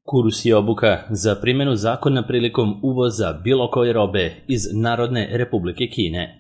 Kurs je obuka za primjenu zakona prilikom uvoza bilo koje robe iz Narodne Republike Kine.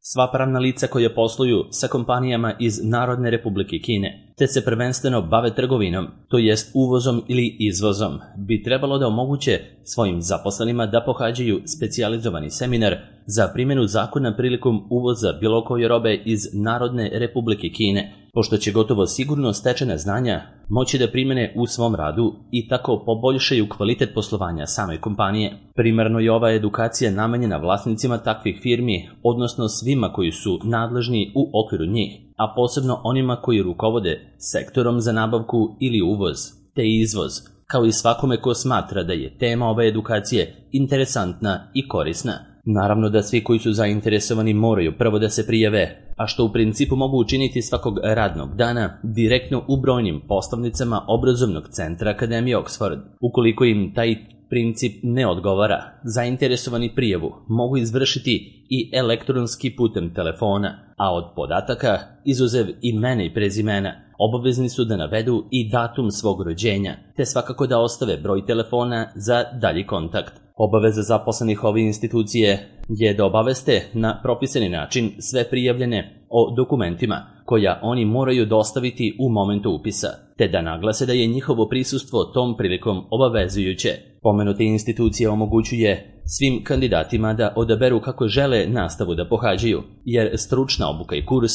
Sva pravna lica koja posluju sa kompanijama iz Narodne Republike Kine, te se prvenstveno bave trgovinom, to jest uvozom ili izvozom, bi trebalo da omoguće svojim zaposlenima da pohađaju specijalizovani seminar za primjenu zakona prilikom uvoza bilo koje robe iz Narodne Republike Kine, pošto će gotovo sigurno stečena znanja moći da primjene u svom radu i tako poboljšaju kvalitet poslovanja same kompanije. Primarno je ova edukacija namenjena vlasnicima takvih firmi, odnosno svima koji su nadležni u okviru njih, a posebno onima koji rukovode sektorom za nabavku ili uvoz, te izvoz, kao i svakome ko smatra da je tema ove edukacije interesantna i korisna. Naravno da svi koji su zainteresovani moraju prvo da se prijave, a što u principu mogu učiniti svakog radnog dana direktno u brojnim poslovnicama obrazovnog centra Akademije Oxford. Ukoliko im taj princip ne odgovara, zainteresovani prijavu mogu izvršiti i elektronski putem telefona, a od podataka, izuzev imena i prezimena, obavezni su da navedu i datum svog rođenja, te svakako da ostave broj telefona za dalji kontakt. Obaveza zaposlenih ove institucije je da obaveste na propisani način sve prijavljene o dokumentima koja oni moraju dostaviti u momentu upisa, te da naglase da je njihovo prisustvo tom prilikom obavezujuće. Pomenuta institucija omogućuje svim kandidatima da odaberu kako žele nastavu da pohađaju, jer stručna obuka i kurs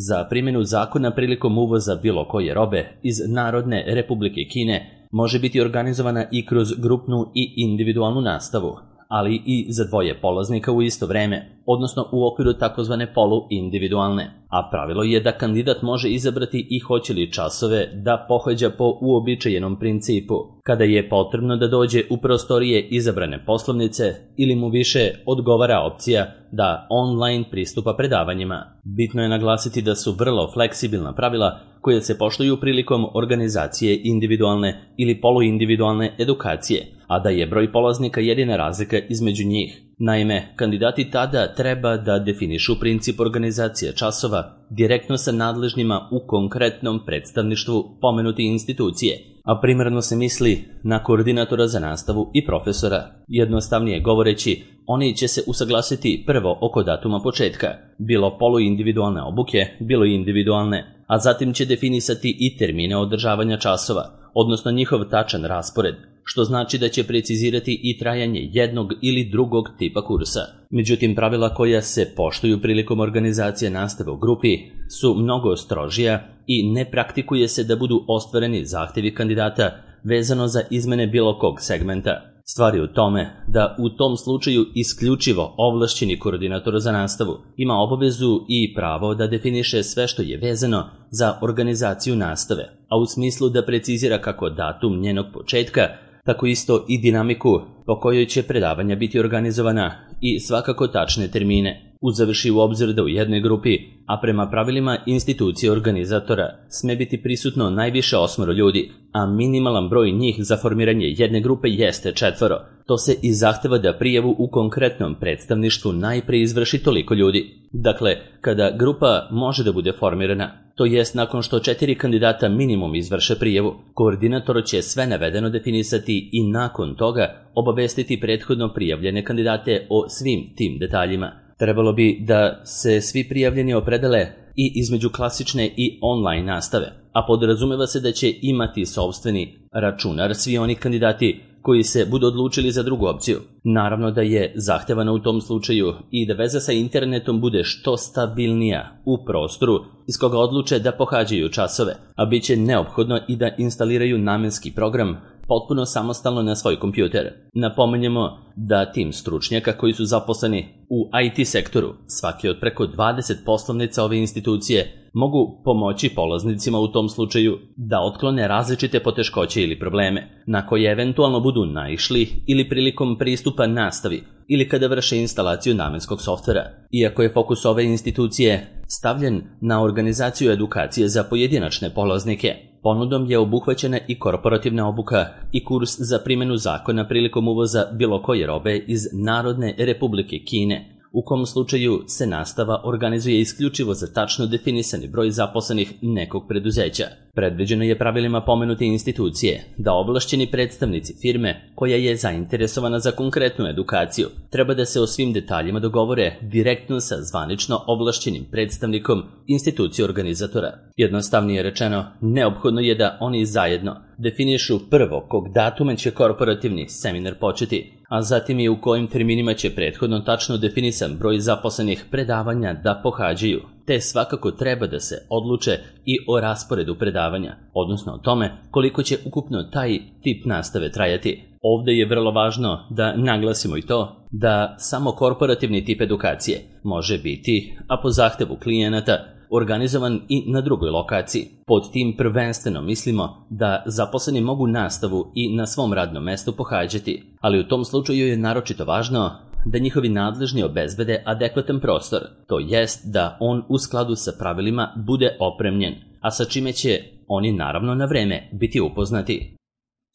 za primjenu zakona prilikom uvoza bilo koje robe iz Narodne Republike Kine može biti organizovana i kroz grupnu i individualnu nastavu, ali i za dvoje polaznika u isto vreme, odnosno u okviru takozvane poluindividualne, a pravilo je da kandidat može izabrati i hoće li časove da pohađa po uobičajenom principu, kada je potrebno da dođe u prostorije izabrane poslovnice ili mu više odgovara opcija da online pristupa predavanjima. Bitno je naglasiti da su vrlo fleksibilna pravila koje se poštuju prilikom organizacije individualne ili poluindividualne edukacije, a da je broj polaznika jedina razlika između njih. Naime, kandidati tada treba da definišu princip organizacije časova direktno sa nadležnima u konkretnom predstavništvu pomenute institucije, a primarno se misli na koordinatora za nastavu i profesora. Jednostavnije govoreći, oni će se usaglasiti prvo oko datuma početka, bilo poluindividualne obuke, bilo individualne, a zatim će definisati i termine održavanja časova, odnosno njihov tačan raspored, što znači da će precizirati i trajanje jednog ili drugog tipa kursa. Međutim, pravila koja se poštuju prilikom organizacije nastave u grupi su mnogo strožija i ne praktikuje se da budu ostvareni zahtjevi kandidata vezano za izmene bilo kog segmenta. Stvar je u tome da u tom slučaju isključivo ovlašćeni koordinator za nastavu ima obavezu i pravo da definiše sve što je vezano za organizaciju nastave, a u smislu da precizira kako datum njenog početka, tako isto i dinamiku po kojoj će predavanja biti organizovana i svakako tačne termine. Uzevši u obzir da u jednoj grupi, a prema pravilima institucije organizatora, sme biti prisutno najviše 8 ljudi, a minimalan broj njih za formiranje jedne grupe jeste 4, to se i zahteva da prijavu u konkretnom predstavništvu najpre izvrši toliko ljudi. Dakle, kada grupa može da bude formirana, to jest nakon što 4 kandidata minimum izvrše prijavu, koordinator će sve navedeno definisati i nakon toga obavestiti prethodno prijavljene kandidate o svim tim detaljima. Trebalo bi da se svi prijavljeni opredele i između klasične i online nastave, a podrazumeva se da će imati sopstveni računar svi oni kandidati koji se budu odlučili za drugu opciju. Naravno da je zahtevano u tom slučaju i da veza sa internetom bude što stabilnija u prostoru iz koga odluče da pohađaju časove, a bit će neophodno i da instaliraju namenski program potpuno samostalno na svoj kompjuter. Napomenjemo da tim stručnjaka koji su zaposleni u IT sektoru, svaki od preko 20 poslovnica ove institucije, mogu pomoći polaznicima u tom slučaju da otklone različite poteškoće ili probleme na koje eventualno budu naišli ili prilikom pristupa nastavi ili kada vrše instalaciju namenskog softvera. Iako je fokus ove institucije stavljen na organizaciju edukacije za pojedinačne polaznike, ponudom je obuhvaćena i korporativna obuka i kurs za primjenu zakona prilikom uvoza bilo koje robe iz Narodne Republike Kine u kom slučaju se nastava organizuje isključivo za tačno definisani broj zaposlenih nekog preduzeća. Predviđeno je pravilima pomenute institucije da ovlašćeni predstavnici firme koja je zainteresovana za konkretnu edukaciju treba da se o svim detaljima dogovore direktno sa zvanično ovlašćenim predstavnikom institucije organizatora. Jednostavnije rečeno, neophodno je da oni zajedno definišu prvo kog datuma će korporativni seminar početi, a zatim i u kojim terminima će prethodno tačno definisan broj zaposlenih predavanja da pohađaju, te svakako treba da se odluče i o rasporedu predavanja, odnosno o tome koliko će ukupno taj tip nastave trajati. Ovde je vrlo važno da naglasimo i to da samo korporativni tip edukacije može biti, a po zahtevu klijenata, organizovan i na drugoj lokaciji. Pod tim prvenstveno mislimo da zaposleni mogu nastavu i na svom radnom mestu pohađati, ali u tom slučaju je naročito važno da njihovi nadležni obezbede adekvatan prostor, to jest da on u skladu sa pravilima bude opremljen, a sa čime će oni naravno na vreme biti upoznati.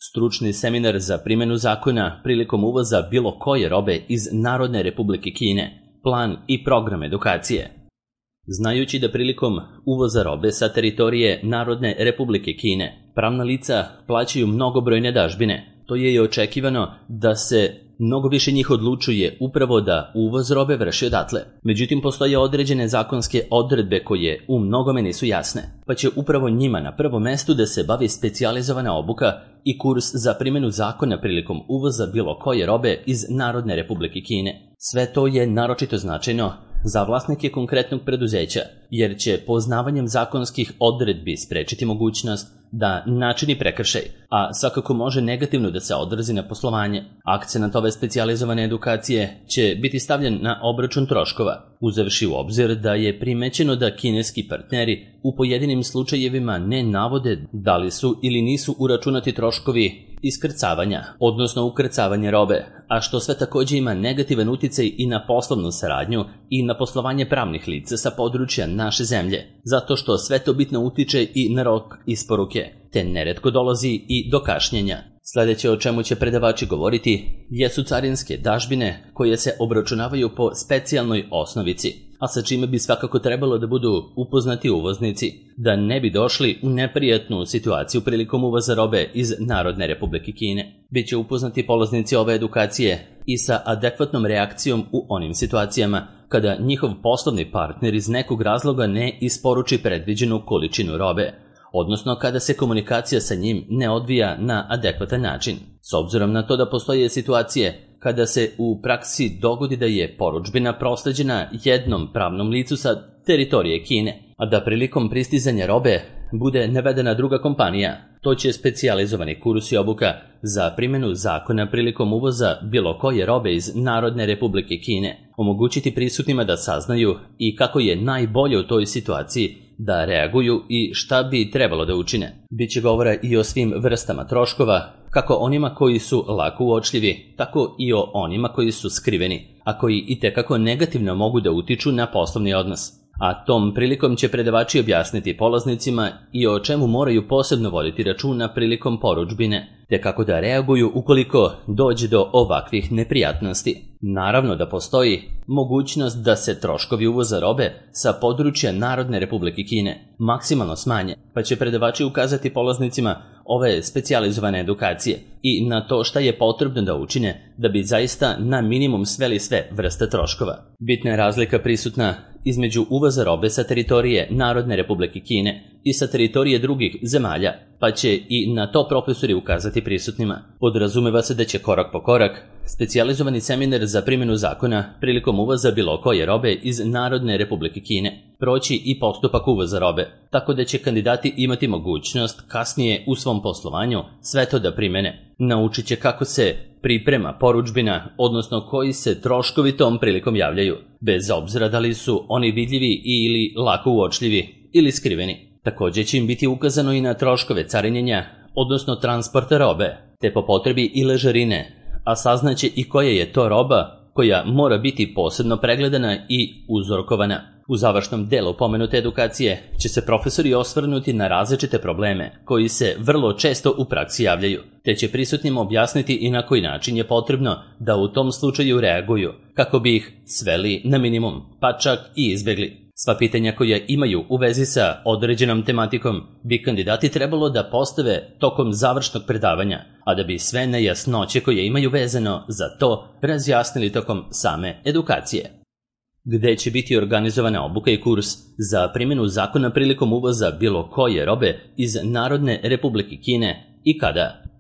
Stručni seminar za primjenu zakona prilikom uvoza bilo koje robe iz Narodne Republike Kine, plan i program edukacije. Znajući da prilikom uvoza robe sa teritorije Narodne Republike Kine pravna lica plaćaju mnogobrojne dažbine, to je i očekivano da se mnogo više njih odlučuje upravo da uvoz robe vrši odatle. Međutim, postoje određene zakonske odredbe koje u mnogome nisu jasne, pa će upravo njima na prvom mestu da se bavi specijalizovana obuka i kurs za primjenu zakona prilikom uvoza bilo koje robe iz Narodne Republike Kine. Sve to je naročito značajno za vlasnike konkretnog preduzeća, jer će poznavanjem zakonskih odredbi sprečiti mogućnost da načini prekršaj, a svakako može negativno da se odrazi na poslovanje. Akcenat ove specijalizovane edukacije će biti stavljen na obračun troškova, uzevši u obzir da je primećeno da kineski partneri u pojedinim slučajevima ne navode da li su ili nisu uračunati troškovi iskrcavanja, odnosno ukrcavanja robe, a što sve također ima negativan uticaj i na poslovnu saradnju i na poslovanje pravnih lica sa područja naše zemlje, zato što sve to bitno utiče i na rok isporuke, te neretko dolazi i do kašnjenja. Sljedeće o čemu će predavači govoriti jesu carinske dažbine koje se obračunavaju po specijalnoj osnovici, a sa čime bi svakako trebalo da budu upoznati uvoznici, da ne bi došli u neprijatnu situaciju prilikom uvoza robe iz Narodne Republike Kine. Biće upoznati polaznici ove edukacije i sa adekvatnom reakcijom u onim situacijama kada njihov poslovni partner iz nekog razloga ne isporuči predviđenu količinu robe, odnosno kada se komunikacija sa njim ne odvija na adekvatan način. S obzirom na to da postoje situacije kada se u praksi dogodi da je porudžbina prosleđena jednom pravnom licu sa teritorije Kine, a da prilikom pristizanja robe bude navedena druga kompanija, to će specijalizovani kurs i obuka za primjenu zakona prilikom uvoza bilo koje robe iz Narodne Republike Kine omogućiti prisutnima da saznaju i kako je najbolje u toj situaciji da reaguju i šta bi trebalo da učine. Biće govora i o svim vrstama troškova, kako onima koji su lako uočljivi, tako i o onima koji su skriveni, a koji itekako negativno mogu da utiču na poslovni odnos. A tom prilikom će predavači objasniti polaznicima i o čemu moraju posebno voditi računa prilikom porudžbine, te kako da reaguju ukoliko dođe do ovakvih neprijatnosti. Naravno da postoji mogućnost da se troškovi uvoza robe sa područja Narodne Republike Kine maksimalno smanje, pa će predavači ukazati polaznicima ove specijalizovane edukacije i na to šta je potrebno da učine da bi zaista na minimum sveli sve vrste troškova. Bitna je razlika prisutna između uvoza robe sa teritorije Narodne Republike Kine i sa teritorije drugih zemalja, pa će i na to profesori ukazati prisutnima. Podrazumeva se da će korak po korak specijalizovani seminar za primjenu zakona prilikom uvoza bilo koje robe iz Narodne Republike Kine proći i postupak uvoza robe, tako da će kandidati imati mogućnost kasnije u svom poslovanju sve to da primene. Naučit će kako se priprema porudžbina, odnosno koji se troškovi tom prilikom javljaju, bez obzira da li su oni vidljivi ili lako uočljivi ili skriveni. Također će im biti ukazano i na troškove carinjenja, odnosno transporta robe, te po potrebi i ležarine, a saznaće i koja je to roba koja mora biti posebno pregledana i uzorkovana. U završnom delu pomenute edukacije će se profesori osvrnuti na različite probleme koji se vrlo često u praksi javljaju, te će prisutnima objasniti i na koji način je potrebno da u tom slučaju reaguju, kako bi ih sveli na minimum, pa čak i izbjegli. Sva pitanja koja imaju u vezi sa određenom tematikom bi kandidati trebalo da postave tokom završnog predavanja, a da bi sve nejasnoće koje imaju vezano za to razjasnili tokom same edukacije. Gde će biti organizovana obuka i kurs za primjenu zakona prilikom uvoza bilo koje robe iz Narodne Republike Kine i kada?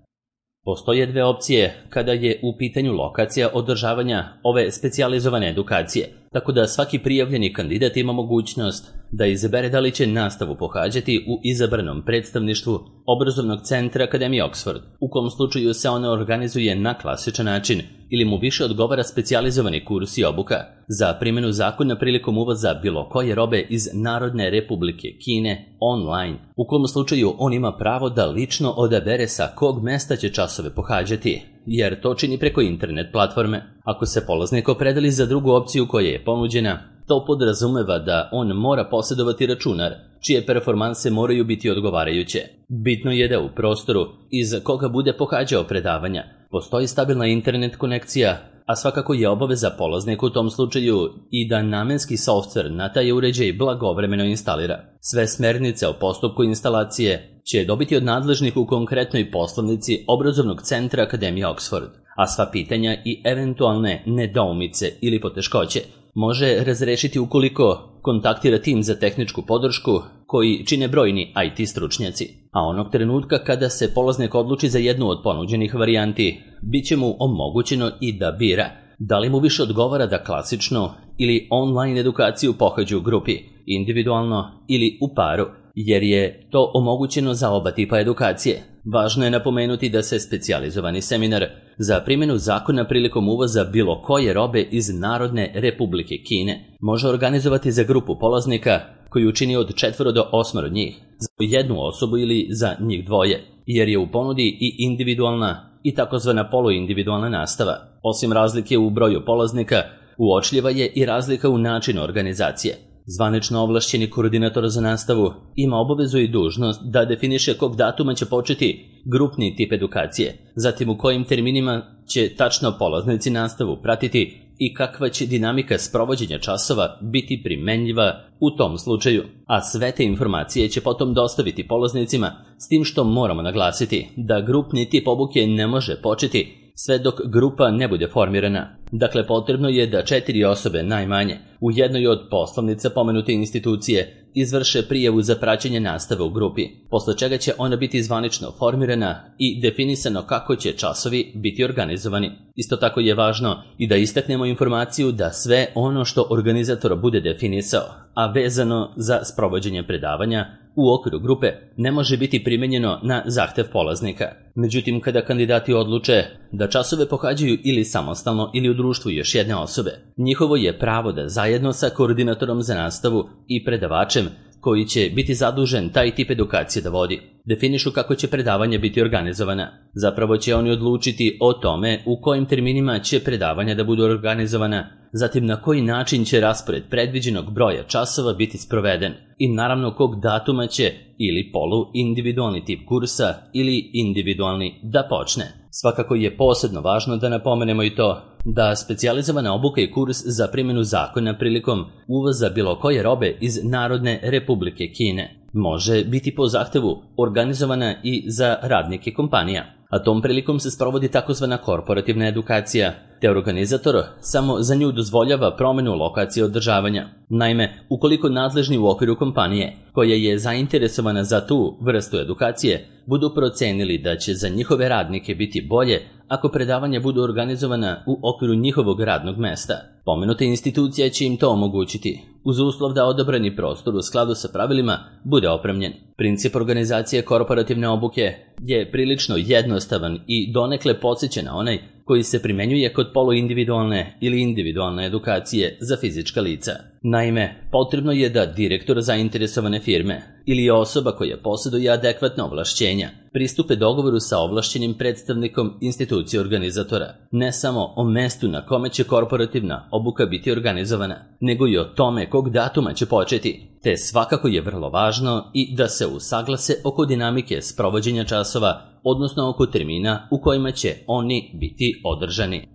Postoje dve opcije kada je u pitanju lokacija održavanja ove specijalizovane edukacije, tako da svaki prijavljeni kandidat ima mogućnost da izabere da li će nastavu pohađati u izabranom predstavništvu obrazovnog centra Akademije Oxford, u kom slučaju se ona organizuje na klasičan način, ili mu više odgovara specijalizovani kurs i obuka za primjenu zakona prilikom uvoza bilo koje robe iz Narodne Republike Kine online, u kom slučaju on ima pravo da lično odabere sa kog mesta će časove pohađati, jer to čini preko internet platforme. Ako se polaznik opredeli za drugu opciju koja je ponuđena, to podrazumeva da on mora posjedovati računar, čije performanse moraju biti odgovarajuće. Bitno je da u prostoru iz koga bude pohađao predavanja postoji stabilna internet konekcija, a svakako je obaveza polaznika u tom slučaju i da namenski softver na taj uređaj blagovremeno instalira. Sve smernice o postupku instalacije će dobiti od nadležnih u konkretnoj poslovnici obrazovnog centra Akademije Oxford, a sva pitanja i eventualne nedoumice ili poteškoće može razrešiti ukoliko kontaktira tim za tehničku podršku koji čine brojni IT stručnjaci. A onog trenutka kada se polaznik odluči za jednu od ponuđenih varijanti, bit će mu omogućeno i da bira da li mu više odgovara da klasično ili online edukaciju pohađa u grupi, individualno ili u paru, jer je to omogućeno za oba tipa edukacije. Važno je napomenuti da se specijalizovani seminar za primjenu zakona prilikom uvoza bilo koje robe iz Narodne Republike Kine može organizovati za grupu polaznika koju čini od 4 do 8 njih, za jednu osobu ili za njih dvoje, jer je u ponudi i individualna i takozvana poluindividualna nastava. Osim razlike u broju polaznika, uočljiva je i razlika u načinu organizacije. Zvanično ovlašćeni koordinator za nastavu ima obavezu i dužnost da definiše kog datuma će početi grupni tip edukacije, zatim u kojim terminima će tačno polaznici nastavu pratiti i kakva će dinamika sprovođenja časova biti primenljiva u tom slučaju. A sve te informacije će potom dostaviti polaznicima, s tim što moramo naglasiti da grupni tip obuke ne može početi sve dok grupa ne bude formirana. Dakle, potrebno je da 4 osobe najmanje u jednoj od poslovnica pomenute institucije izvrše prijavu za praćenje nastave u grupi, posle čega će ona biti zvanično formirana i definisano kako će časovi biti organizovani. Isto tako je važno i da istaknemo informaciju da sve ono što organizator bude definisao, a vezano za sprovođenje predavanja u okviru grupe, ne može biti primenjeno na zahtev polaznika. Međutim, kada kandidati odluče da časove pohađaju ili samostalno ili u društvu još jedne osobe, njihovo je pravo da zajedno sa koordinatorom za nastavu i predavačem koji će biti zadužen taj tip edukacije da vodi, definišu kako će predavanje biti organizovana. Zapravo će oni odlučiti o tome u kojim terminima će predavanja da budu organizovana, zatim na koji način će raspored predviđenog broja časova biti sproveden i naravno kog datuma će ili polu-individualni tip kursa ili individualni da počne. Svakako je posebno važno da napomenemo i to da specijalizovana obuka i kurs za primjenu zakona prilikom uvoza bilo koje robe iz Narodne Republike Kine može biti po zahtevu organizovana i za radnike kompanija, a tom prilikom se sprovodi takozvana korporativna edukacija, te organizator samo za nju dozvoljava promjenu lokacije održavanja. Naime, ukoliko nadležni u okviru kompanije, koja je zainteresovana za tu vrstu edukacije, budu procenili da će za njihove radnike biti bolje ako predavanja budu organizovana u okviru njihovog radnog mesta, pomenuta institucija će im to omogućiti, uz uslov da odabrani prostor u skladu sa pravilima bude opremljen. Princip organizacije korporativne obuke je prilično jednostavan i donekle podsjeća na onaj koji se primenjuje kod poluindividualne ili individualne edukacije za fizička lica. Naime, potrebno je da direktor zainteresovane firme ili osoba koja posjeduje adekvatna ovlašćenja pristupe dogovoru sa ovlašćenim predstavnikom institucije organizatora, ne samo o mestu na kome će korporativna obuka biti organizovana, nego i o tome kog datuma će početi, te svakako je vrlo važno i da se usaglase oko dinamike sprovođenja časova, odnosno oko termina u kojima će oni biti održani.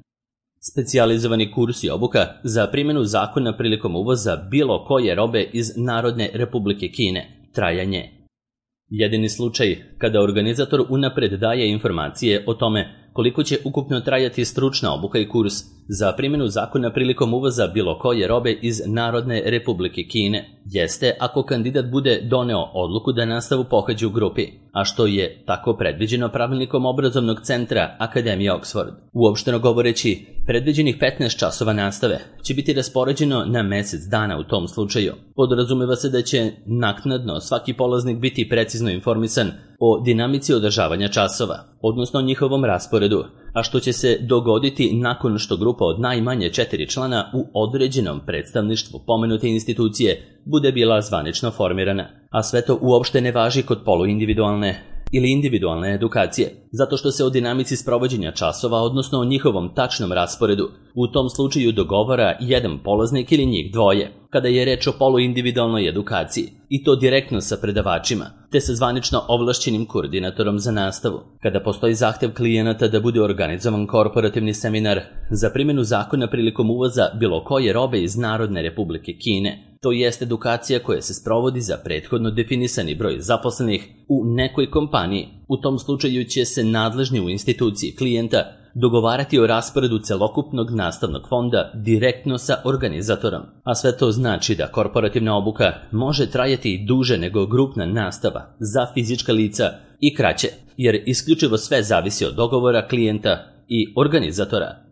specijalizovani kurs i obuka za primjenu zakona prilikom uvoza bilo koje robe iz Narodne Republike Kine, trajanje. Jedini slučaj kada organizator unapred daje informacije o tome koliko će ukupno trajati stručna obuka i kurs za primjenu zakona prilikom uvoza bilo koje robe iz Narodne Republike Kine, jeste ako kandidat bude doneo odluku da nastavu pohađa u grupi, a što je tako predviđeno pravilnikom obrazovnog centra Akademije Oxford. Uopšteno govoreći, predviđenih 15 časova nastave će biti raspoređeno na mjesec dana u tom slučaju. Podrazumeva se da će naknadno svaki polaznik biti precizno informisan o dinamici održavanja časova, odnosno njihovom rasporedu, a što će se dogoditi nakon što grupa od najmanje 4 člana u određenom predstavništvu pomenute institucije bude bila zvanično formirana. A sve to uopšte ne važi kod poluindividualne ili individualne edukacije, zato što se o dinamici sprovođenja časova, odnosno o njihovom tačnom rasporedu, u tom slučaju dogovara jedan polaznik ili njih dvoje, kada je reč o poluindividualnoj edukaciji, i to direktno sa predavačima, te sa zvanično ovlašćenim koordinatorom za nastavu. Kada postoji zahtev klijenata da bude organizovan korporativni seminar za primjenu zakona prilikom uvoza bilo koje robe iz Narodne Republike Kine, to jest edukacija koja se sprovodi za prethodno definisani broj zaposlenih u nekoj kompaniji. U tom slučaju će se nadležni u instituciji klijenta dogovarati o rasporedu celokupnog nastavnog fonda direktno sa organizatorom. A sve to znači da korporativna obuka može trajati i duže nego grupna nastava za fizička lica i kraće, jer isključivo sve zavisi od dogovora klijenta i organizatora.